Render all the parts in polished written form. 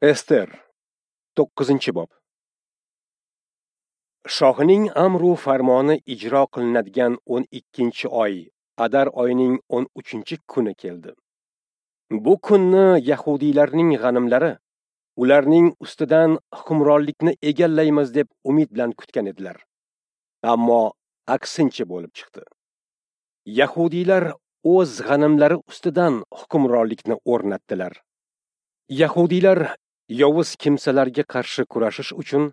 Ester 9-bob. Shohning amru farmoni ijro qilinadigan 12-oy, Adar oyining 13-kuni keldi. Bu kunni yahudiylarning g'animlari ularning ustidan hukmronlikni egallaymiz deb umid bilan kutgan edilar. Ammo aksincha bo'lib chiqdi. Yahudiylar o'z g'animlari ustidan hukmronlikni o'rnatdilar. Yahudiylar yovuz kimsalarga qarshi kurashish uchun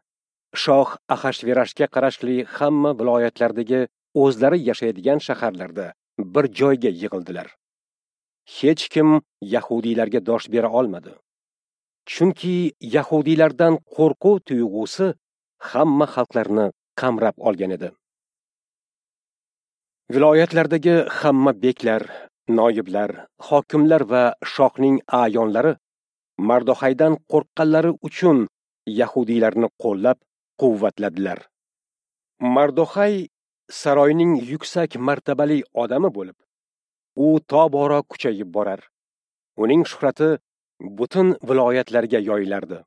shoh Axashverashga qarashli hamma viloyatlardagi o'zlari yashaydigan shaharlarda bir joyga yig'ildilar. Hech kim yahudiylarga dosh bera olmadi. Chunki yahudiylardan qo'rquv tuyg'usi hamma xalqlarni qamrab olgan edi. Viloyatlardagi hamma beklar, noyiblar, hokimlar va shohning a'yonlari Mardoxaydan qo'rqqanlari uchun yahudiylarni qo'llab quvvatladilar. Mardoxay saroyning yuksak martabali odami bo'lib, u tobora kuchayib borar. Uning shuhrati butun viloyatlarga yoyilardi.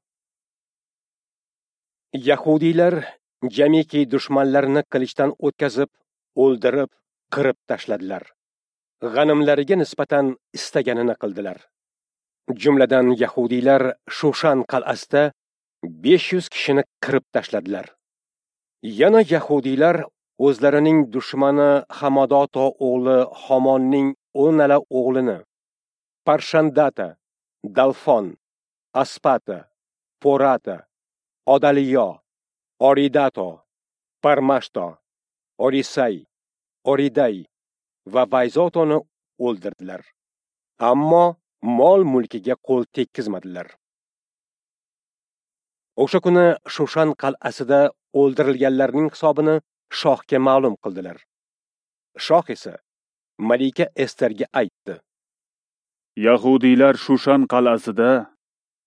Yahudiylar jamiki dushmanlarini qilichdan o'tkazib, o'ldirib, qirib tashladilar. G'animlariga nisbatan istaganini qildilar. Jumladan yahudiylar Shushan qal'asida 500 kishini qirib tashladilar. Yana yahudiylar o'zlarining dushmani Hamadoto o'g'li Homonning 10 o'g'lini Parshandata, Dalfon, Aspata, Porata, Odaliyo, Oridato, Parmashto, Orisay, Oriday va Vayzotoni o'ldirdilar. Ammo mol mulkiga qo'l tekkizmadilar. O'sha kuni Shushan qal'asida o'ldirilganlarning hisobini shohga ma'lum qildilar. Shoh esa malika Esterga aytdi: Yahudiylar Shushan qal'asida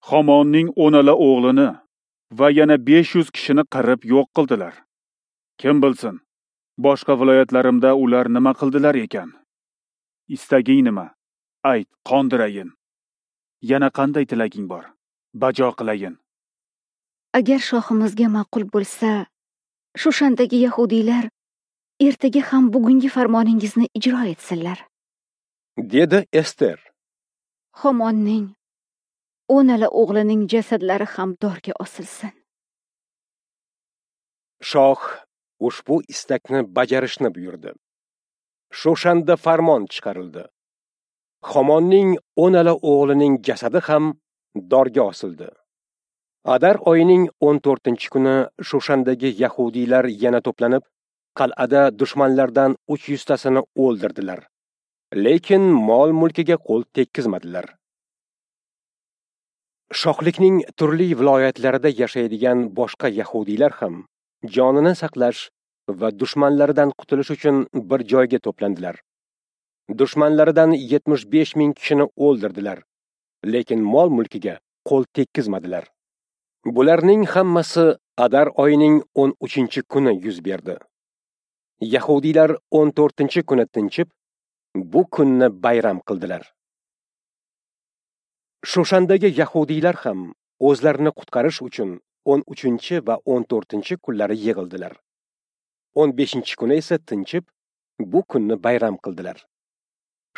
Homonning 10 o'g'lini va yana 500 kishini qirib yo'q qildilar. Kim bilsin, boshqa viloyatlarimda ular nima qildilar ekan? Istaging nima? Ayt, qondirayin. Yana qanday tilaging bor? Bajo qilayin. Agar shohimizga ma'qul bo'lsa, Shushandagi yahudiylar ertaga ham bugungi farmoningizni ijro etsinlar, dedi Ester. Homonning 10 o'g'lining jasadlari ham dorga osilsin. Shoh ushbu istakni bajarishni buyurdi. Shushanda farmon chiqarildi. Homonning 10 o'g'lining jasadi ham dorga osildi. Adar oyining 14-kuni Shushandagi yahudiylar yana to'planib, qal'ada dushmanlardan 300 tasini o'ldirdilar. Lekin mol-mulkiga qo'l tekkizmadilar. Shohlikning turli viloyatlarida yashaydigan boshqa yahudiylar ham jonini saqlash va dushmanlaridan qutulish uchun bir joyga to'plandilar. Dushmanlaridan 75 ming kishini o'ldirdilar, lekin mol-mulkiga qo'l tekkizmadilar. Bularning hammasi Adar oyining 13-kuni yuz berdi. Yahudiylar 14-kuni tinchib, bu kunni bayram qildilar. Shushandagi yahudiylar ham o'zlarini qutqarish uchun 13 va 14 kunlari yig'ildilar. 15-kuni esa tinchib, bu kunni bayram qildilar.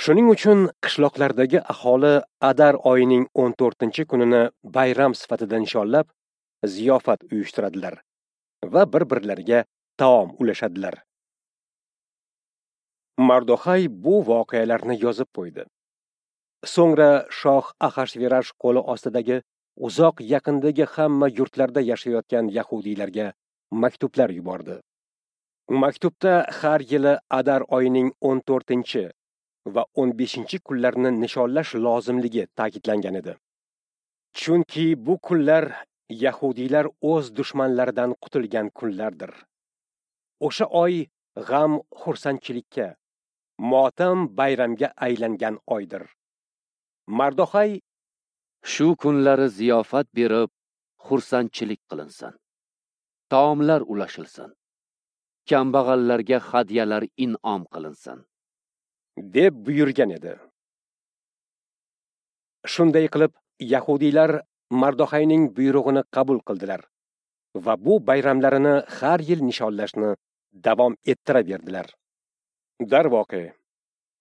Shuning uchun qishloqlardagi aholi Adar oyining 14-kunini bayram sifatida nishonlab, ziyofat uyushtiradilar va bir-birlariga taom ulashadilar. Mardoxay bu voqealarni yozib qo'ydi. So'ngra shoh Axashverash qo'li ostidagi uzoq yaqindagi hamma yurtlarda yashayotgan yahudiylarga maktublar yubordi. Maktubda har yili Adar oyining 14 va 15 kunlarni nishonlash lozimligi ta'kidlangan edi. Chunki bu kunlar yahudiylar o'z dushmanlaridan qutulgan kunlardir. O'sha oy g'am xursandchilikka, motam bayramga aylangan oydir. Mardoxay shu kunlari ziyofat berib, xursandchilik qilinsin. Taomlar ulashilsin. Kambag'allarga hadyalar in'om qilinsin, deb buyurgan edi. Shunday qilib yahudiylar Mardoxayning buyrug'ini qabul qildilar va bu bayramlarini har yil nishonlashni davom ettiraverdilar. Darvoqe,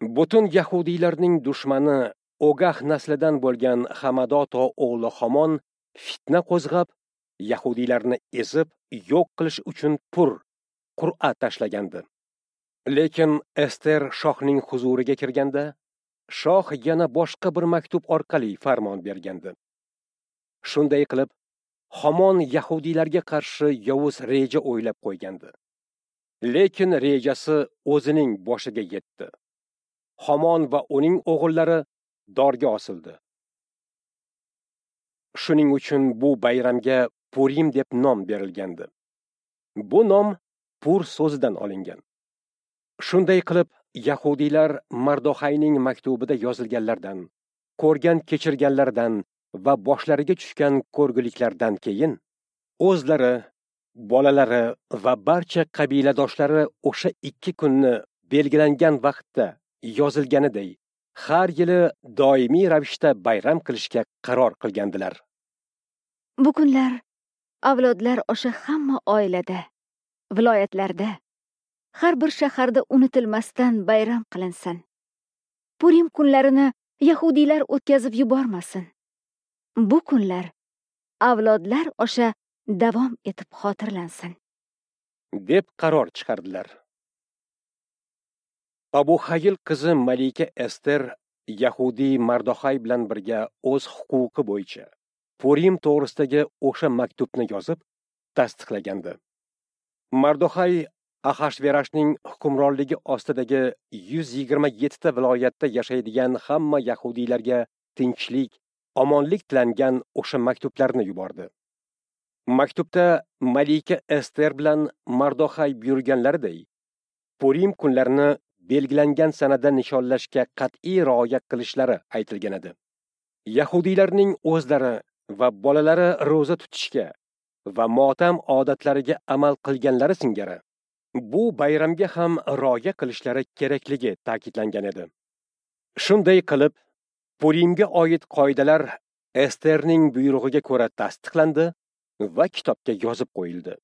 butun yahudiylarning dushmani Ogah naslidan bo'lgan Hamadoto o'g'li Homon fitna qo'zg'ab, yahudiylarni ezib yo'q qilish uchun qur'a tashlagandi. Lekin Ester shohning huzuriga kirganda, shoh yana boshqa bir maktub orqali farmon bergandi. Shunday qilib, Homon yahudiylarga qarshi yovuz reja o'ylab qo'ygandi. Lekin rejasi o'zining boshiga yetdi. Homon va uning o'g'illari dorga osildi. Shuning uchun bu bayramga Purim deb nom berilgandi. Bu nom Pur so'zidan olingan. Shunday qilib, yahudiylar Mardoxayning maktubida yozilganlardan, ko'rgan kechirganlardan va boshlariga tushgan ko'rguliklardan keyin o'zlari, bolalari va barcha qabiladoshlari o'sha 2 kunni belgilangan vaqtda yozilganiday har yili doimiy ravishda bayram qilishga qaror qilgandilar. Bu kunlar avlodlar osha hamma oilada, viloyatlarda, har bir shaharda unutilmasdan bayram qilinsin. Purim kunlarini yahudiylar o'tkazib yubormasin. Bu kunlar avlodlar osha davom etib xotirlansin, deb qaror chiqardilar. Abu Hayil qizi Malika Ester yahudiy Mardoxay bilan birga o'z huquqi bo'yicha Purim to'g'risidagi o'sha maktubni yozib tasdiqlagandi. Mardoxay Ahashverashning hukmronligi ostidagi 127 ta viloyatda yashaydigan hamma yahudiylarga tinchlik, omonlik tilangan o'sha maktublarni yubordi. Maktubda Malika Ester bilan Mardoxay buyurganlariday Purim kunlarini belgilangan sanada nishonlashga qat'iy rioya qilishlari aytilgan edi. Yahudiylarning o'zlari va bolalari ro'za tutishga va motam odatlariga amal qilganlari singari bu bayramga ham rioya qilishlari kerakligi ta'kidlangan edi. Shunday qilib, Purimga oid qoidalar Esterning buyrug'iga ko'ra tasdiqlandi va kitobga yozib qo'yildi.